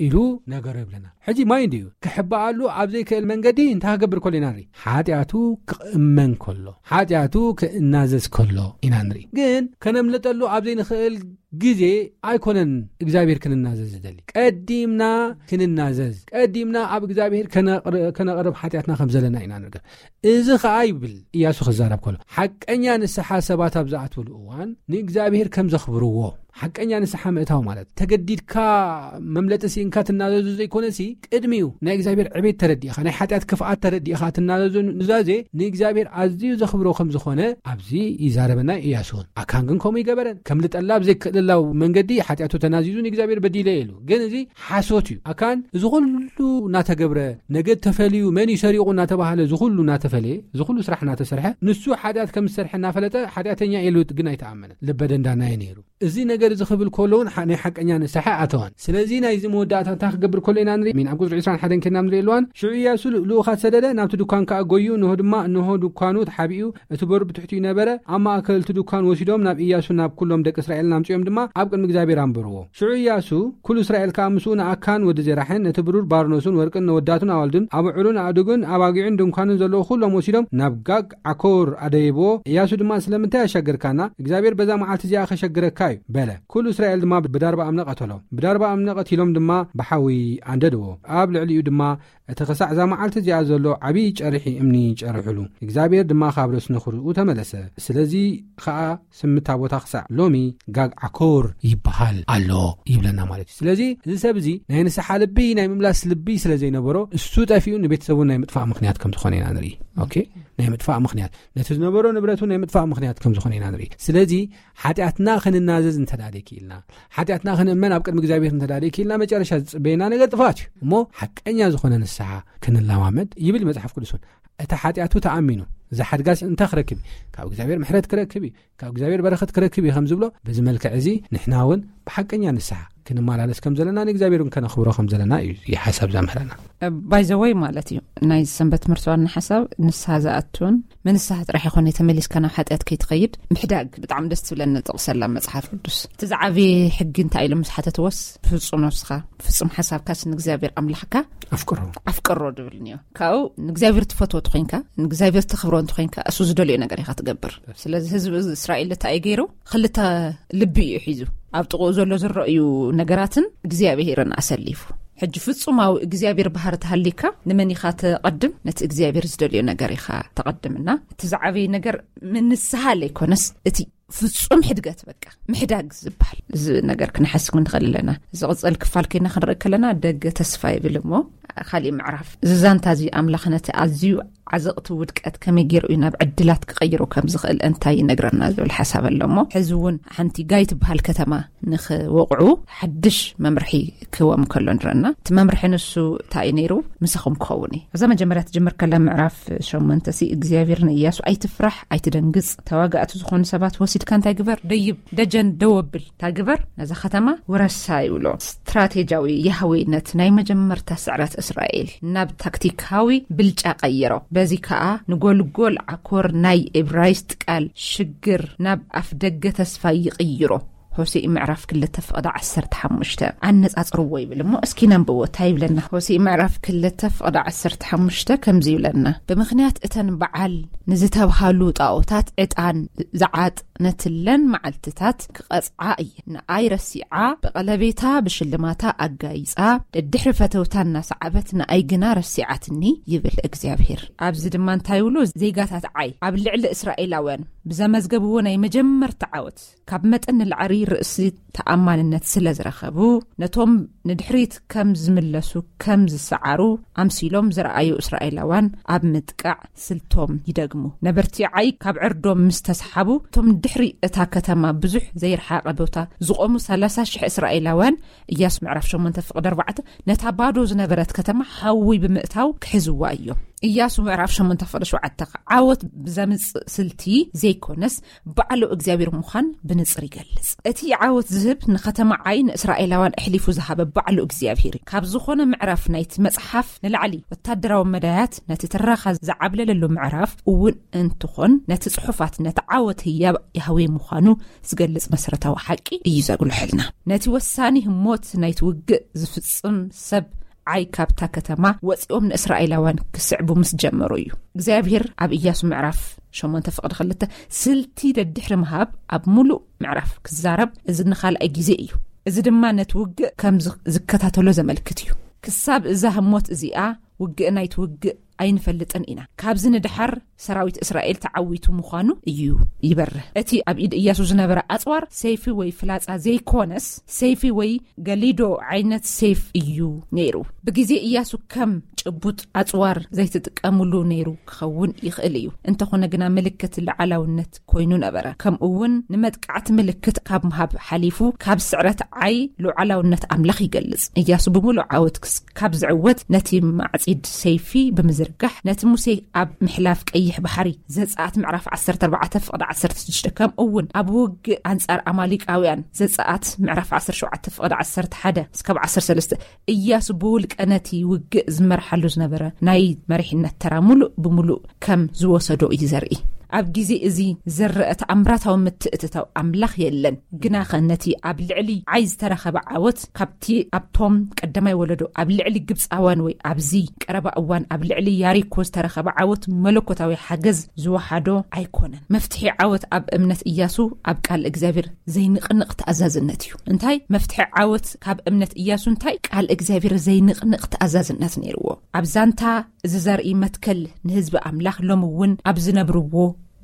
ኢሉ ነገሮ ይብለና። ሕጂ ማይ እንድዩ ክሕባኣሉ ኣብ ዘይክእል መንገዲ እንታይ ክገብር ከሎ ኢና ንርኢ? ሓጢኣቱ ክእመን ከሎ፣ ሓጢኣቱ ክእናዘዝ ከሎ ኢና ንርኢ። ግን ከነምልጠሉ ኣብ ዘይንኽእል ግዜ ኣይኮነን እግዚኣብሔር ክንናዘዝ ዝደሊ። ቀዲምና ክንናዘዝ፣ ቀዲምና ኣብ እግዚኣብሔር ከነቕር-፣ ከነቕርብ ሓጢኣትና ከም ዘለና ኢና ንርገ። እዚ ኸኣ ይብል ኢያሱ ክዛረብ ከሎ፣ ሓቀኛ ንስሓ ሰባት ኣብ ዝኣትውሉ እዋን ንእግዚኣብሔር ከም ዘኽብርዎ፣ ሓቀኛ ንስሓ ምእታው ማለት ተገዲድካ መምለጢ ስኢንካ ትናዘዙ ዘይኮነሲ፣ ቅድሚኡ ናይ እግዚኣብሔር ዕቤት ተረዲእኻ፣ ናይ ሓጢኣት ክፍኣት ተረዲእኻ ትናዘዙ ኑዛዜ ንእግዚኣብሔር ኣዝዩ ዘኽብሮ ከም ዝኾነ ኣብዚ ይዛረበና ኢያሱ እውን። ኣካን ግን ከምኡ ይገበረን። ከምልጠላ ኣብ ዘይክእልላው መንገዲ ሓጢኣቱ ተናዚዙ ንእግዚኣብሔር በዲለ ኢሉ። ግን እዚ ሓሶት እዩ። ኣካን እዚ ኩሉ እናተገብረ፣ ነገድ ተፈልዩ፣ መን እዩ ሰሪቑ እናተባህለ፣ እዚ ኩሉ እናተፈለየ፣ እዚ ኩሉ ስራሕ እናተሰርሐ፣ ንሱ ሓጢኣት ከም ዝሰርሐ እናፈለጠ ሓጢኣተኛ ኢሉ ግን ኣይተኣመነን። ልበ ደንዳና እዩ ነይሩ። እዚ ነገር እዚ ክብል ከሎ እውን ናይ ሓቀኛ ንስሓ ኣተዋን። ስለዚ ናይዚ መወዳእታ እንታይ ክገብር ከሎ ኢና ንርኢ? ኣብ ቁፅሪ ዕስራን ሓደን ከና ንርኢ ኣለዋን። ሽዑ እያሱ ልኡኻት ሰደደ፣ ናብቲ ድኳን ከዓ ጎዩ፣ እንሆ ድማ እንሆ ድኳኑ ተሓቢኡ፣ እቲ በሩ ብትሕቲኡ ነበረ። ኣብ ማእከል እቲ ድኳን ወሲዶም ናብ እያሱ ናብ ኩሎም ደቂ እስራኤል ኣምፅኦም ድማ ኣብ ቅድሚ እግዚኣብሔር ኣንበርዎ። ሽዑ እያሱ ኩሉ እስራኤል ከዓ ምስኡ ንኣካን ወዲ ዜራሕን ነቲ ብሩር ባርኖሱን ወርቅን ነወዳቱን ኣዋልዱን ኣበዕሩን ኣእዱግን ኣባጊዑን ድንኳንን ዘለዎ ኩሎም ወሲዶም ናብ ጋግ ዓኮር ኣደይብዎ። እያሱ ድማ ስለምንታይ ኣሻገርካና እግዚኣብሔር በዛ መዓልቲ እዚኣ ከሸግረካ እዩ በለ። ኩሉ እስራኤል ድማ ብዳርባ እምነ ቀተሎ። ብዳርባ እምነ ቀቲሎም ድማ ብሓዊ ኣንደድዎ። ኣብ ልዕሊኡ ድማ እቲ ክሳዕ እዛ መዓልቲ እዚኣ ዘሎ ዓብዪ ጨርሒ እምኒ ጨርሕሉ። እግዚኣብሔር ድማ ካብ ረስኒ ክርኡ ተመለሰ። ስለዚ ከዓ ስምታ ቦታ ክሳዕ ሎሚ ጋግ ዓኮር ይበሃል ኣሎ ይብለና ማለት እዩ። ስለዚ እዚ ሰብ እዚ ናይ ንስሓ ልቢ ናይ ምምላስ ልቢ ስለ ዘይነበሮ እሱ ጠፊኡ ንቤተሰቡ ናይ ምጥፋእ ምክንያት ከም ዝኾነ ኢና ንርኢ። ኦኬ፣ ናይ ምጥፋእ ምክንያት፣ ነቲ ዝነበሮ ንብረቱ ናይ ምጥፋእ ምክንያት ከም ዝኾነ ኢና ንርኢ። ስለዚ ሓጢኣትና ክንናዘዝ እንተዳለይ ክኢልና፣ ሓጢኣትና ክንእመን ኣብ ቅድሚ እግዚኣብሔር እንተዳለይ ክኢልና፣ መጨረሻ ዝፅበየና ነገር ጥፋት እዩ። እሞ ሓቀኛ ዝኾነ ንስሓ ክንለማመድ ይብል መጽሓፍ ቅዱስ እውን። እቲ ሓጢኣቱ ተኣሚኑ ዝሓድጋስ እንታይ ክረክብ እዩ? ካብ እግዚኣብሔር ምሕረት ክረክብ እዩ፣ ካብ እግዚኣብሔር በረኸት ክረክብ እዩ ከም ዝብሎ፣ በዚ መልክዕ እዚ ንሕና እውን ብሓቀኛ ንስሓ ክንመላለስ ከም ዘለና ንእግዚኣብሔር እውን ከነኽብሮ ከም ዘለና እዩ ሓሳብ ዘምህረና። ባይዘወይ ማለት እዩ ናይ ሰንበት ትምህርቲ ዋና ሓሳብ ንስሓ ዝኣቱን ምንስሓ ጥራሕ ይኾነ ተመሊስካ ናብ ሓጢኣት ከይትኸይድ ምሕዳግ። ብጣዕሚ ደስ ትብለኒ ጥቕሰላ መጽሓፍ ቅዱስ። እቲ ዝዓበየ ሕጊ እንታይ ኢሎም ምስ ሓተትዎስ፣ ፍጹም ነፍስኻ፣ ፍጹም ሓሳብካስ ንእግዚኣብሔር ኣምላኽካ ኣፍቅሮ ኣፍቅሮ ድብል እኒኦ። ካብኡ ንእግዚኣብሔር ትፈትዎ እንተኾይንካ፣ ንእግዚኣብሔር ተኽብሮ እንተኾይንካ፣ እሱ ዝደልዮ ነገር ኢኻ ትገብር። ስለዚ ህዝቢ እስራኤል እንታይ እዩ ገይሩ? ክልተ ልቢ እዩ ሒዙ። ኣብ ጥቕኡ ዘሎ ዝረእዩ ነገራትን እግዚኣብሔርን ኣሰሊፉ። ሕጂ ፍጹማዊ እግዚኣብሔር ባህሪ ተሃሊካ ንመን ኢኻ ተቐድም? ነቲ እግዚኣብሔር ዝደልዮ ነገር ኢኻ ተቐድምና። እቲ ዝዓበየ ነገር ምንስሃ ለይኮነስ እቲ ፍጹም ሕድገት፣ በቃ ምሕዳግ ዝበሃል እዚ ነገር ክንሓስብ ንኽእል ኣለና። ዝቕጸል ክፋል ኮይና ክንርኢ ከለና ደገ ተስፋ ይብል እሞ ካሊእ ምዕራፍ እዚ ዛንታ እዚ ኣምላኽ ነቲ ኣዝዩ ዓዘቕቲ ውድቀት ከመይ ገይሩ እዩ ናብ ዕድላት ክቐይሮ ከም ዝኽእል እንታይ ይነግረና ዝብል ሓሳብ ኣሎ እሞ፣ ሕዚ እውን ሓንቲ ጋይ ትበሃል ከተማ ንኽወቕዑ ሓድሽ መምርሒ ክህቦም ከሎ ንረና። እቲ መምርሒ ንሱ እንታይ እዩ ነይሩ? ምሳኹም ክኸውን እዩ። እዛ መጀመርያ ትጅምር ከላ ምዕራፍ ሸሞንተ ሲ እግዚኣብሔር ንእያሱ ኣይትፍራሕ፣ ኣይትደንግጽ፣ ተዋጋእቲ ዝኾኑ ሰባት ወሲድካ እንታይ ግበር? ደይብ፣ ደጀን ደው ኣብል። እንታይ ግበር? ነዛ ከተማ ውረሳ ይብሎ። ስትራቴጂያዊ ያህዌ ነቲ ናይ መጀመርታ ስዕረት እስራኤል ናብ ታክቲካዊ ብልጫ ቀይሮ። በዚ ከኣ ንጎልጎል ዓኮር ናይ እብራይስጥ ቃል ሽግር ናብ ኣፍደገ ተስፋ ይቕይሮ። ሆሴእ ምዕራፍ ክልተ ፍቕዲ ዓሰርተ ሓሙሽተ ኣነጻጽርዎ ይብል እሞ፣ እስኪ ነንብቦ እንታይ ይብለና? ሆሴእ ምዕራፍ ክልተ ፍቕዲ ዓሰርተ ሓሙሽተ ከምዚ ይብለና፣ ብምኽንያት እተን በዓል ንዝተብሃሉ ጣኦታት ዕጣን ዝዓጥነትለን መዓልትታት ክቐጽዓ እየ። ንኣይ ረሲዓ፣ ብቐለቤታ ብሽልማታ ኣጋይጻ፣ ደድሕሪ ፈተውታ እናሰዓበት ንኣይ ግና ረሲዓትኒ ይብል እግዚኣብሔር። ኣብዚ ድማ እንታይ ይብሉ? ዜጋታት ዓይ ኣብ ልዕሊ እስራኤላውያን ብዘመዝገብዎ ናይ መጀመርታ ዓወት ካብ መጠን ንላዕሊ ርእሲ ተኣማንነት ስለ ዝረኸቡ፣ ነቶም ንድሕሪት ከም ዝምለሱ ከም ዝሰዓሩ ኣምሲሎም ዝረኣዩ እስራኤላውያን ኣብ ምጥቃዕ ስልቶም ይደግሙ። ነበርቲ ዓይ ካብ ዕርዶም ምስ ተሰሓቡ፣ እቶም ድሕሪ እታ ከተማ ብዙሕ ዘይረሓቐ ቦታ ዝቖሙ ሰላሳ ሽሕ እስራኤላውያን፣ እያሱ ምዕራፍ ሸሞንተ ፍቕዲ ኣርባዕተ፣ ነታ ባዶ ዝነበረት ከተማ ሓዊ ብምእታው ክሕዝዋ እዮም። እያሱ ምዕራፍ ሸሞንተ ፍቕዲ ሸውዓተ፣ ዓወት ብዘምጽእ ስልቲ ዘይኮነስ፣ ባዕሉ እግዚኣብሔር ምዃን ብንጽር ይገልጽ። እቲ ዓወት ዝህብ ንከተማ ዓይ ንእስራኤላውያን ኣሕሊፉ ዝሃበ ባዕሉ እግዚኣብሔር እዩ። ካብ ዝኾነ ምዕራፍ ናይቲ መጽሓፍ ንላዕሊ ወታደራዊ መዳያት ነቲ ትረኻ ዝዓብለለሉ ምዕራፍ እውን እንትኾን፣ ነቲ ጽሑፋት ነቲ ዓወት ህያብ ያህዌ ምዃኑ ዝገልጽ መሰረታዊ ሓቂ እዩ ዘጉልሐልና። ነቲ ወሳኒ ህሞት ናይቲ ውግእ ዝፍጽም ሰብ ዓይ ካብታ ከተማ ወጺኦም ንእስራኤላውያን ክስዕቡ ምስ ጀመሩ እዩ። እግዚኣብሔር ኣብ እያሱ ምዕራፍ ሸሞንተ ፍቕዲ ክልተ ስልቲ ደድሕሪ ምሃብ ኣብ ሙሉእ ምዕራፍ ክዛረብ፣ እዚ ንኻልኣይ ግዜ እዩ። እዚ ድማ ነቲ ውግእ ከም ዝ-፣ ዝከታተሎ ዘመልክት እዩ። ክሳብ እዛ ህሞት እዚኣ ውግእ ናይቲ ውግእ ኣይንፈልጥን ኢና። ካብዚ ንደሓር ሰራዊት እስራኤል ተዓዊቱ ምዃኑ እዩ ይበርህ። እቲ ኣብ ኢድ እያሱ ዝነበረ ኣጽዋር ሰይፊ ወይ ፍላጻ ዘይኮነስ፣ ሰይፊ ወይ ገሊዶ ዓይነት ሰይፍ እዩ ነይሩ። ብግዜ እያሱ ከም ጭቡጥ ኣጽዋር ዘይትጥቀምሉ ነይሩ ክኸውን ይኽእል እዩ። እንተኾነ ግና ምልክት ልዓላውነት ኮይኑ ነበረ። ከምኡ እውን ንመጥቃዕቲ ምልክት ካብ ምሃብ ሓሊፉ ካብ ስዕረት ዓይ ሉዓላውነት ኣምላኽ ይገልጽ። እያሱ ብምሉእ ዓወት ክስ-፣ ካብ ዝዕወት ነቲ ማዕጺድ ሰይፊ ብምዝር-፣ ጋሕ ነቲ ሙሴ ኣብ ምሕላፍ ቀይሕ ባሕሪ፣ ዘጸኣት ምዕራፍ ዓሰርተ ኣርባዕተ ፍቕዲ ዓሰርተ ሽዱሽተ፣ ከምኡ እውን ኣብ ውግእ ኣንጻር ኣማሊቃውያን፣ ዘጸኣት ምዕራፍ ዓሰርተ ሸውዓተ ፍቕዲ ዓሰርተ ሓደ እስካብ ዓሰርተ ሰለስተ፣ እያሱ ብውልቀ ነቲ ውግእ ዝመርሓሉ ዝነበረ ናይ መሪሕነት ተራ ሙሉእ ብሙሉእ ከም ዝወሰዶ እዩ ዘርኢ። ኣብ ግዜ እዚ ዝረአ ተኣምራታዊ ምትእትታው ኣምላኽ የለን። ግናኸ ነቲ ኣብ ልዕሊ ዓይ ዝተረኸበ ዓወት፣ ካብቲ ኣብቶም ቀዳማይ ወለዶ፣ ኣብ ልዕሊ ግብጻውያን፣ ወይ ኣብዚ ቀረባ እዋን ኣብ ልዕሊ ያሪኮ ዝተረኸበ ዓወት፣ መለኮታዊ ሓገዝ ዝወሓዶ ኣይኮነን። መፍትሒ ዓወት ኣብ እምነት እያሱ ኣብ ቃል እግዚኣብሔር ዘይንቕንቕ ተኣዛዝነት እዩ። እንታይ? መፍትሒ ዓወት ካብ እምነት እያሱ እንታይ? ቃል እግዚኣብሔር ዘይንቕንቕ ተኣዛዝነት ነይርዎ። ኣብ ዛንታ እዚ ዘርኢ መትከል ንህዝቢ ኣምላኽ ሎሚ እውን ኣብ ዝነብርዎ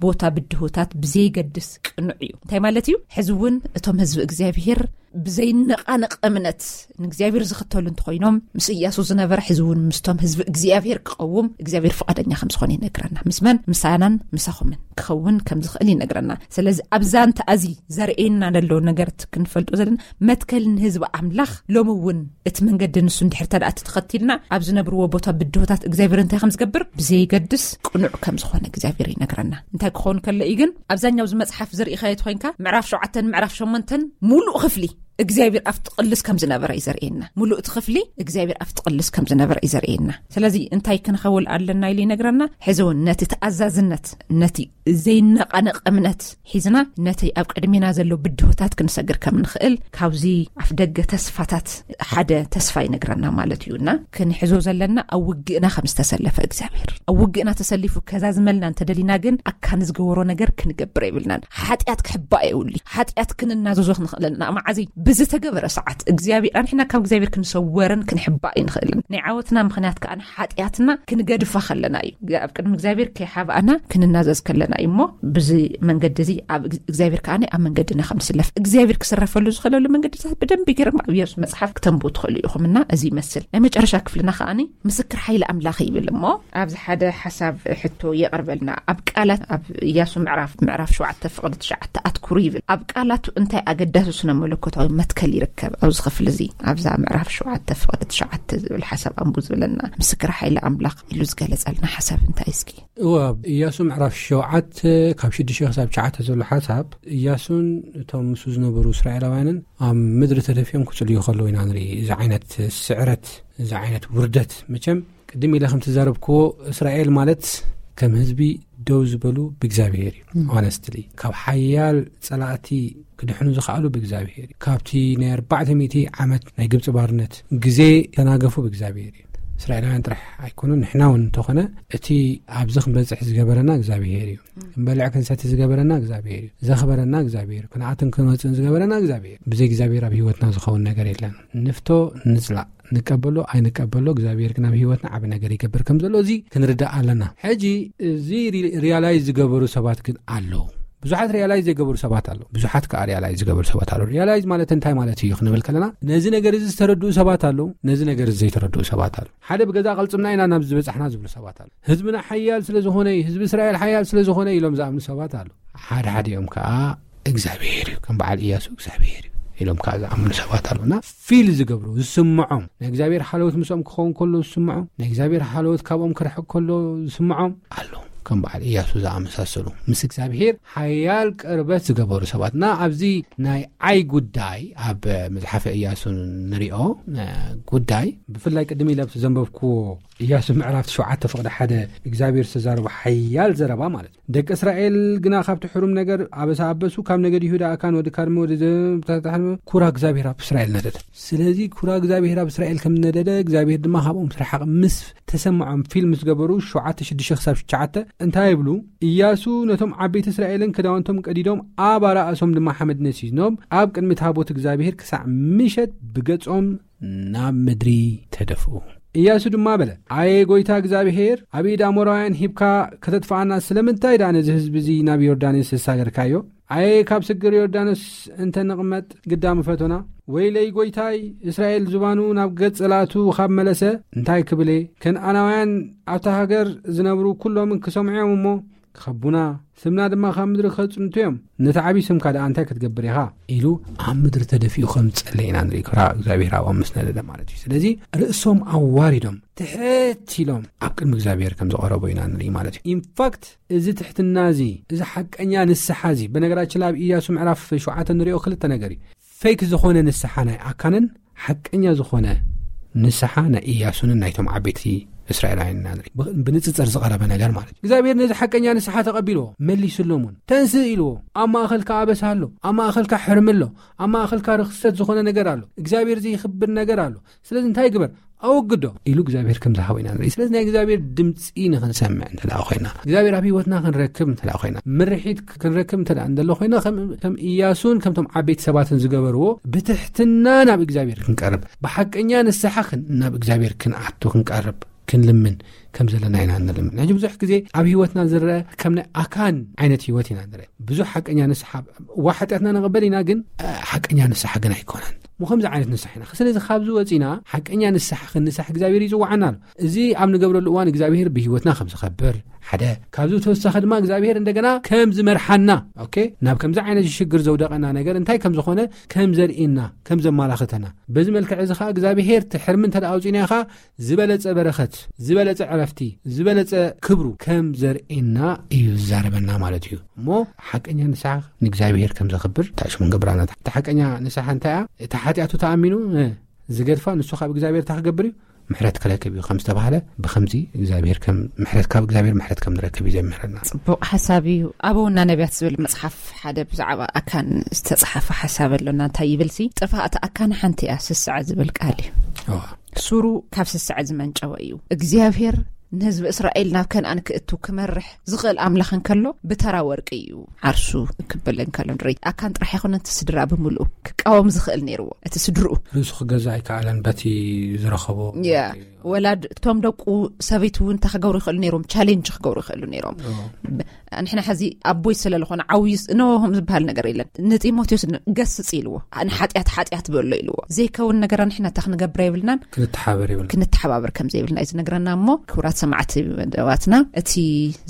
ቦታ ብድሆታት ብዘይገድስ ቅኑዕ እዩ። እንታይ ማለት እዩ? ሕዚ እውን እቶም ህዝቢ እግዚኣብሔር ብዘይነቓነቕ እምነት ንእግዚኣብሔር ዝኽተሉ እንተኾይኖም፣ ምስ እያሱ ዝነበረ ሕዚ እውን ምስቶም ህዝቢ እግዚኣብሔር ክቐውም እግዚኣብሔር ፍቓደኛ ከም ዝኾነ ይነግረና። ምስ መን? ምሳናን ምሳኹምን ክኸውን ከም ዝኽእል ይነግረና። ስለዚ ኣብ ዛንታ እዚ ዘርእየና ዘሎ ነገር ክንፈልጦ ዘለና፣ መትከል ንህዝቢ ኣምላኽ ሎሚ እውን እቲ መንገዲ ንሱ እንድሕር ተደኣ ተኸቲልና፣ ኣብ ዝነብርዎ ቦታ ብድሆታት እግዚኣብሔር እንታይ ከም ዝገብር ብዘይገድስ ቅኑዕ ከም ዝኾነ እግዚኣብሔር ይነግረና። እንታይ ክኸውን ከሎ እዩ ግን? ኣብዛኛው እዚ መጽሓፍ ዝርኢኻዮ ተኾይንካ፣ ምዕራፍ ሸውዓተን ምዕራፍ ሸሞንተን ሙሉእ ክፍሊ እግዚኣብሔር ኣብቲ ቅልስ ከም ዝነበረ እዩ ዘርእየና። ሙሉእ እቲ ክፍሊ እግዚኣብሔር ኣብቲ ቅልስ ከም ዝነበረ እዩ ዘርእየና። ስለዚ እንታይ ክንኸውል ኣለና ኢሉ ይነግረና። ሕዚ እውን ነቲ ተኣዛዝነት፣ ነቲ ዘይነቓነቕ እምነት ሒዝና፣ ነቲ ኣብ ቅድሜና ዘሎ ብድሆታት ክንሰግር ከም ንኽእል፣ ካብዚ ኣፍ ደገ ተስፋታት ሓደ ተስፋ ይነግረና ማለት እዩ። እና ክንሕዞ ዘለና ኣብ ውግእና ከም ዝተሰለፈ እግዚኣብሔር፣ ኣብ ውግእና ተሰሊፉ ከዛዝመልና እንተደሊና ግን፣ ኣካን ዝገበሮ ነገር ክንገብር የብልናን። ሓጢኣት ክሕባእ የብሉ። ሓጢኣት ክንናዘዞ ክንኽእል ኣለና። መዓዘይ? ብዝተገበረ ሰዓት እግዚኣብሔር። ኣንሕና ካብ እግዚኣብሔር ክንሰወርን ክንሕባእ ይንኽእልን። ናይ ዓወትና ምኽንያት ከኣ ሓጢኣትና ክንገድፋ ከለና እዩ። ኣብ ቅድሚ እግዚኣብሔር ከይሓባእና ክንናዘዝ ከለና እዩ። እሞ ብዚ መንገዲ እዚ ኣብ እግዚኣብሔር ከኣ ኣብ መንገድና ከም ንስለፍ እግዚኣብሔር ክስረፈሉ ዝኽእለሉ መንገድታት ብደንቢ ገይሮም ኣብ ኢያሱ መጽሓፍ ክተንብቡ ትኽእሉ ኢኹም። እና እዚ ይመስል። ናይ መጨረሻ ክፍልና ከኣ ምስክር ሓይሊ ኣምላኽ ይብል። እሞ ኣብዚ ሓደ ሓሳብ ሕቶ የቕርበልና። ኣብ ቃላት ኣብ ኢያሱ ምዕራፍ፣ ምዕራፍ ሸውዓተ ፍቕዲ ትሽዓተ ኣትኩሩ ይብል። ኣብ ቃላቱ እንታይ ኣገዳሲ ስነ መለኮታዊ መትከል ይርከብ? ኣብዚ ክፍሊ እዚ፣ ኣብዛ ምዕራፍ ሸውዓተ ፍቕዲ ትሽዓተ ዝብል ሓሳብ ኣንቡ ዝብለና ምስክር ሓይሊ ኣምላኽ ኢሉ ዝገለጸልና ሓሳብ እንታይ እስኪ? እወ፣ ኣብ ኢያሱ ምዕራፍ ሸውዓተ ካብ ሽዱሽተ ክሳብ ትሽዓተ ዘሎ ሓሳብ፣ ኢያሱን እቶም ምስኡ ዝነበሩ እስራኤላውያንን ኣብ ምድሪ ተደፊኦም ክጽልዩ ከለዉ ኢና ንርኢ። እዚ ዓይነት ስዕረት፣ እዚ ዓይነት ውርደት፣ መቸም ቅድም ኢለ ከም ተዛረብክዎ፣ እስራኤል ማለት ከም ህዝቢ ደው ዝበሉ ብእግዚኣብሔር እዩ። ም። ሆነስትሊ፣ ካብ ሓያል ጸላእቲ ክድሕኑ ዝኸኣሉ ብእግዚኣብሔር እዩ። ካብቲ ናይ ኣርባዕተ ሚእቲ ዓመት ናይ ግብጺ ባርነት ግዜ ተናገፉ ብእግዚኣብሔር እዩ። እስራኤላውያን ጥራሕ ኣይኮኑን፣ ንሕና እውን እንተኾነ፣ እቲ ኣብዚ ክንበጽሕ ዝገበረና እግዚኣብሔር እዩ። ክንበልዕ ክንሰቲ ዝገበረና እግዚኣብሔር እዩ። ዘኽበረና እግዚኣብሔር እዩ። ክንኣትን ክንወጽእን ዝገበረና እግዚኣብሔር እዩ። ብዘይ እግዚኣብሔር ኣብ ህይወትና ዝኸውን ነገር የለን። ንፍቶ፣ ንጽላእ፣ ንቀበሎ ኣይንቀበሎ፣ እግዚኣብሔር ግን ኣብ ህይወትና ዓቢ ነገር ይገብር ከም ዘሎ እዚ ክንርዳእ ኣለና። ሕጂ እዚ ሪ-፣ ሪያላይዝ ዝገበሩ ሰባት ግን ኣለዉ። ብዙሓት ሪያላይዝ ዘይገበሩ ሰባት ኣለዉ። ብዙሓት ከኣ ሪያላይዝ ዝገበሩ ሰባት ኣለዉ። ሪያላይዝ ማለት እንታይ ማለት እዩ ክንብል ከለና፣ ነዚ ነገር እዚ ዝተረድኡ ሰባት ኣለዉ፣ ነዚ ነገር እዚ ዘይተረድኡ ሰባት ኣለዉ። ሓደ ብገዛ ቅልጽምና ኢና ናብ ዝበጻሕና ዝብሉ ሰባት ኣለዉ። ህዝብና ሓያል ስለ ዝኾነ እዩ፣ ህዝቢ እስራኤል ሓያል ስለ ዝኾነ እዩ ኢሎም ዝኣምኑ ሰባት ኣለዉ። ሓደ ሓዲኦም ከኣ እግዚኣብሔር እዩ፣ ከም በዓል ኢያሱ እግዚኣብሔር እዩ ኢሎም ከኣ ዝኣምኑ ሰባት ኣለዉ። እና ፊል ዝገብሩ፣ ዝስምዖም፣ ናይ እግዚኣብሔር ሓለዎት ምስኦም ክኸውን ከሎ ዝስምዖም፣ ናይ እግዚኣብሔር ሓለዎት ካብኦም ክርሕቅ ከሎ ዝስምዖም ኣለዉ። ከም በዓል ኢያሱ ዝኣመሳሰሉ፣ ምስ እግዚኣብሔር ሓያል ቅርበት ዝገበሩ ሰባት። እና ኣብዚ ናይ ዓይ ጉዳይ ኣብ መጽሓፈ ኢያሱ ንሪኦ፣ እ፣ ጉዳይ፣ ብፍላይ ቅድም ኢለ ኣብቲ ዘንበብክዎ ኢያሱ ምዕራፍ ትሽዓተ ፍቕዲ ሓደ እግዚኣብሔር ዝተዛረቦ ሓያል ዘረባ ማለት እዩ። ደቂ እስራኤል ግና ካብቲ ሕሩም ነገር ኣበሳ ኣበሱ፣ ካብ ነገድ ይሁዳ ኣካን ወዲ ካርሚ ወዲ ዘ-፣ ኩራ እግዚኣብሔር ኣብ እስራኤል ነደደ። ስለዚ ኩራ እግዚኣብሔር ኣብ እስራኤል ከም ነደደ እግዚኣብሔር ድማ ካብኦም ስርሓቕ ምስ ተሰምዖም ፊል ምስ ገበሩ ሸውዓተ ሽዱሽተ ክሳብ ትሽዓተ እንታይ ይብሉ? ኢያሱ ነቶም ዓበይቲ እስራኤልን ክዳውንቶም ቀዲዶም ኣብ ኣራእሶም ድማ ሓመድ ነሲኖም ኣብ ቅድሚ ታቦት እግዚኣብሔር ክሳዕ ምሸት ብገጾም ናብ ምድሪ ተደፍኡ። ኢያሱ ድማ በለ፣ ኣየ ጐይታ እግዚኣብሔር፣ ኣብ ኢድ ኣሞራውያን ሂብካ ከተጥፍኣና ስለምንታይ ደኣ ነዚ ህዝቢ እዚ ናብ ዮርዳኖስ ዘሳገርካዮ? ኣየ ካብ ስግር ዮርዳኖስ እንተ ንቕመጥ ግዳ ምፈቶና። ወይለይ ጐይታይ፣ እስራኤል ዝባኑ ናብ ገጽ ጸላእቱ ኻብ መለሰ እንታይ ክብል እየ? ከነኣናውያን ኣብታ ሃገር ዝነብሩ ኵሎም ክሰምዑ እዮም እሞ፣ ከቡና፣ ስምና ድማ ካብ ምድሪ ከጽንቱ እዮም። ነቲ ዓብዪ ስምካ ደኣ እንታይ ክትገብር ኢኻ? ኢሉ ኣብ ምድሪ ተደፊኡ ከም ዝጸለየ ኢና ንርኢ። ክብራ እግዚኣብሔር ኣብኦም ምስ ነደደ ማለት እዩ። ስለዚ ርእሶም ኣዋሪዶም ትሕት ኢሎም ኣብ ቅድሚ እግዚኣብሔር ከም ዝቐረቡ ኢና ንርኢ ማለት እዩ። ኢንፋክት፣ እዚ ትሕትና እዚ፣ እዚ ሓቀኛ ንስሓ እዚ፣ በነገራችን ኣብ ኢያሱ ምዕራፍ ሸውዓተ ንሪኦ ክልተ ነገር እዩ። ፌክ ዝኾነ ንስሓ ናይ ኣካንን ሓቀኛ ዝኾነ ንስሓ ናይ ኢያሱንን ናይቶም ዓበይቲ እስራኤላውያን ኢና ንርኢ። ብ-፣ ብንጽጽር ዝቐረበ ነገር ማለት እዩ። እግዚኣብሔር ነዚ ሓቀኛ ንስሓ ተቐቢልዎ፣ መሊስሎም እውን። ተንስእ ኢልዎ። ኣብ ማእኸልካ ኣበሳ ኣሎ፣ ኣብ ማእኸልካ ሕርሚ ኣሎ፣ ኣብ ማእኸልካ ርኽሰት ዝኾነ ነገር ኣሎ፣ እግዚኣብሔር ዘይኽብር ነገር ኣሎ። ስለዚ እንታይ ግበር? ኣወግዶ ኢሉ እግዚኣብሔር ከም ዝሃቦ ኢና ንርኢ። ስለዚ ናይ እግዚኣብሔር ድምፂ ንኽንሰምዕ እንተ ደኣ ኮይና፣ እግዚኣብሔር ኣብ ህይወትና ክንረክብ እንተ ደኣ ኮይና፣ ምርሒት ክንረክብ እንተ ደኣ እንደሎ ኮይና፣ ከም፣ ከም ኢያሱን ከምቶም ዓበይቲ ሰባትን ዝገበርዎ ብትሕትና ናብ እግዚኣብሔር ክንቀርብ፣ ብሓቀኛ ንስሓ ክን-፣ ናብ እግዚኣብሔር ክንኣቱ ክንቀርብ፣ ክንልምን ከም ዘለና ኢና እንልምን። ሕጂ ብዙሕ ግዜ ኣብ ህይወትና ዝረአ ከም ናይ ኣካን ዓይነት ህይወት ኢና ንረአ። ብዙሕ ሓቀኛ ንስሓ፣ ዋ ሓጢኣትና ንቕበል ኢና፣ ግን፣ እ፣ ሓቀኛ ንስሓ ግን ኣይኮነን። እሞ ከምዚ ዓይነት ንስሓ ኢና። ስለዚ ካብዚ ወፂና ሓቀኛ ንስሓ ክንንሳሕ እግዚኣብሔር ይፅዋዓና ኣሎ። እዚ ኣብ ንገብረሉ እዋን እግዚኣብሔር ብህይወትና ከም ዝኸብር ሓደ፣ ካብዚ ተወሳኺ ድማ እግዚኣብሔር እንደገና ከም ዝመርሓና፣ ኦኬ፣ ናብ ከምዚ ዓይነት ሽግር ዘውደቐና ነገር እንታይ ከም ዝኾነ ከም ዘርእየና፣ ከም ዘመላኽተና፣ በዚ መልክዕ እዚ ኸዓ እግዚኣብሔር እቲ ሕርሚ እንተ ደኣ ኣውፂእናዮ ኸዓ ዝበለጸ በረኸት፣ ዝበለጸ ዕረፍቲ፣ ዝበለጸ ክብሩ ከም ዘርእየና እዩ ዝዛረበና ማለት እዩ። እሞ ሓቀኛ ንስሓ ንእግዚኣብሔር ከም ዘኽብር እንታይ ሽሙ ንገብር ኣለና። እታ ሓቀኛ ንስሓ እንታይ እያ? እታ ሓጢኣቱ ተኣሚኑ፣ እ፣ ዝገድፋ ንሱ ካብ እግዚኣብሔር እንታይ ክገብር እዩ? ምሕረት ክረክብ እዩ ከም ዝተባህለ፣ ብኸምዚ እግዚኣብሔር ከም ምሕረት፣ ካብ እግዚኣብሔር ምሕረት ከም ንረክብ እዩ ዘምህረና። ጽቡቕ ሓሳብ እዩ። ኣበውና ነቢያት ዝብል መጽሓፍ ሓደ ብዛዕባ ኣካን ዝተጻሓፈ ሓሳብ ኣሎና። እንታይ ይብል ሲ? ጥፋእቲ ኣካን ሓንቲ እያ፣ ስስዐ ዝብል ቃል እዩ። እዋ። ሱሩ ካብ ስስዐ ዝመንጨወ እዩ። እግዚኣብሔር ንህዝቢ እስራኤል ናብ ከነኣን ክእቱ ክመርሕ ዝኽእል ኣምላኽ እንከሎ ብተራ ወርቂ እዩ ዓርሱ ክብል እንከሎ ንርኢ። ኣካን ጥራሕ ኣይኮነን፣ እቲ ስድራ ብምልኡ ክቃወም ዝኽእል ነይርዎ። እቲ ስድርኡ ርእሱ ክገዝእ ኣይከኣለን በቲ ዝረኸቦ። ያ፣ ወላድ እቶም ደቁ ሰበይቱ እውን እንታይ ክገብሩ ይኽእሉ ነይሮም? ቻሌንጅ ክገብሩ ይኽእሉ ነይሮም። ኦ። ብ-፣ ንሕና ሕዚ ኣቦይ ስለ ዝኾነ ዓብዩ ስ-፣ ኖ ከም ዝበሃል ነገር የለን። ንጢሞቴዎስ ን-፣ ገስጽ ኢልዎ። ንሓጢኣት ሓጢኣት በሎ ኢልዎ። ዘይከውን ነገራ ንሕና እንታይ ክንገብር የብልናን? ክንተሓባበር የብልናን። ክንተሓባበር ከም ዘይብልና እዩ ዝነግረና። እሞ ክቡራት ሰማዕቲ መደባትና፣ እቲ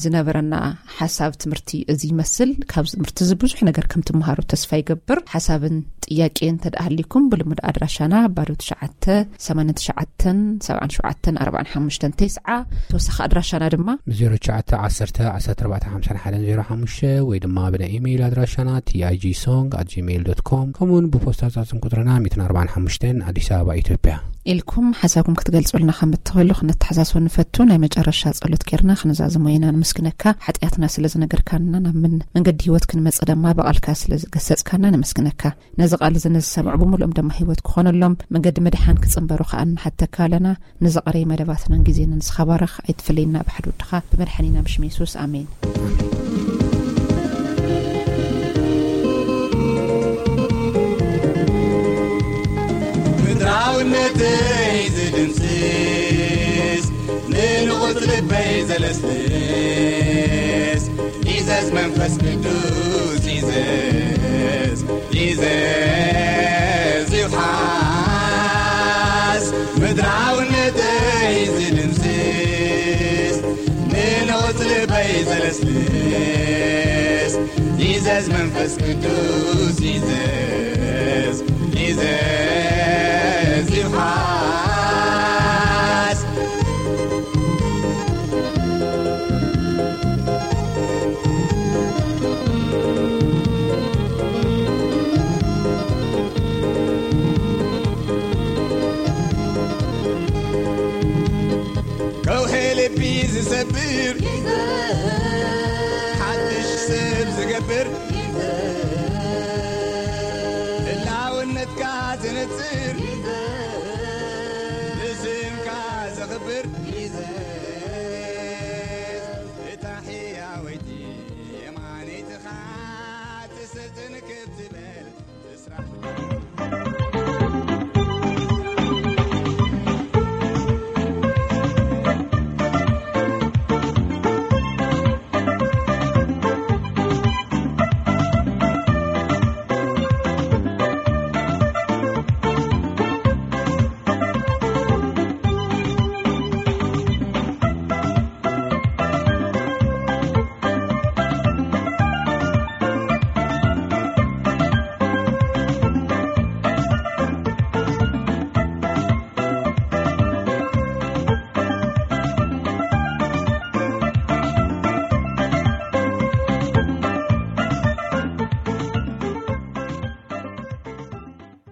ዝነበረና ሓሳብ ትምህርቲ እዚ ይመስል። ካብዚ ትምህርቲ እዚ ብዙሕ ነገር ከም ትመሃሩ ተስፋ ይገብር። ሓሳብን ጥያቄ እንተ ደኣ ሃሊኩም ብልሙድ ኣድራሻና ባዶ ትሽዓተ ሰማንያን ትሽዓተን ሰብዓን ሸውዓተን ኣርባዓን ሓሙሽተን ተስዓ። ተወሳኺ ኣድራሻና ድማ ብ ዜሮ ትሽዓተ ዓሰርተ ዓሰርተ ኣርባዕተ ሓምሳን ሓደን ዜሮ ሓሙሽተ ወይ ድማ ብናይ ኢሜይል ኣድራሻና ቲ ኣይ ጂ ሶንግ ኣት ጂሜይል ዶት ኮም፣ ከምኡውን ብፖስታ ሳጥን ቁጽርና ሚእትን ኣርባዓን ሓሙሽተን ኣዲስ ኣበባ ኢትዮጵያ። ኢልኩም ሓሳብኩም ክትገልጹልና ከም እትኽእሉ ክንተሓሳስብ ንፈቱ። ናይ መጨረሻ ጸሎት ጌርና ክንዛዝሞ ኢና። ንምስግነካ፣ ሓጢኣትና ስለ ዝነገርካና፣ ናብ ምን-፣ መንገዲ ህይወት ክንመጽእ ድማ ብቓልካ ስለ ዝገሰጽካና ንምስግነካ። ነዚ ቃል እዚ ንዝሰምዑ ብምሉኦም ድማ ህይወት ክኾነሎም፣ መንገዲ ምድሓን ክጽንበሩ ከኣ ንሓተካ ኣለና። ንዝቐረየ መደባትናን ግዜናን ንስኻ ባርኽ፣ ኣይትፍለየና ብሓድሽ ወድኻ ብመድሓኒና ብሽም የሱስ፣ ኣሜን። ምድራውነተይ ዝድምስስ፣ ንንቑጽ ልበይ ዘለስልስ፣ ዚዘዝ መንፈስ ቅዱስ ዚዘዝ፣ ዚዘዝ ይውሓስ። ምድራውነተይ ዝድምስስ፣ ንንቑጽ ልበይ ዘለስልስ፣ ዚዘዝ መንፈስ ቅዱስ ዚዘዝ፣ ዚዘዝ ይውሓስ። ከውሒ ልቢ ዝሰብር፣ ሓድሽ ሰብ ዝገብር፣ ህላውነትካ ዘነጽር፣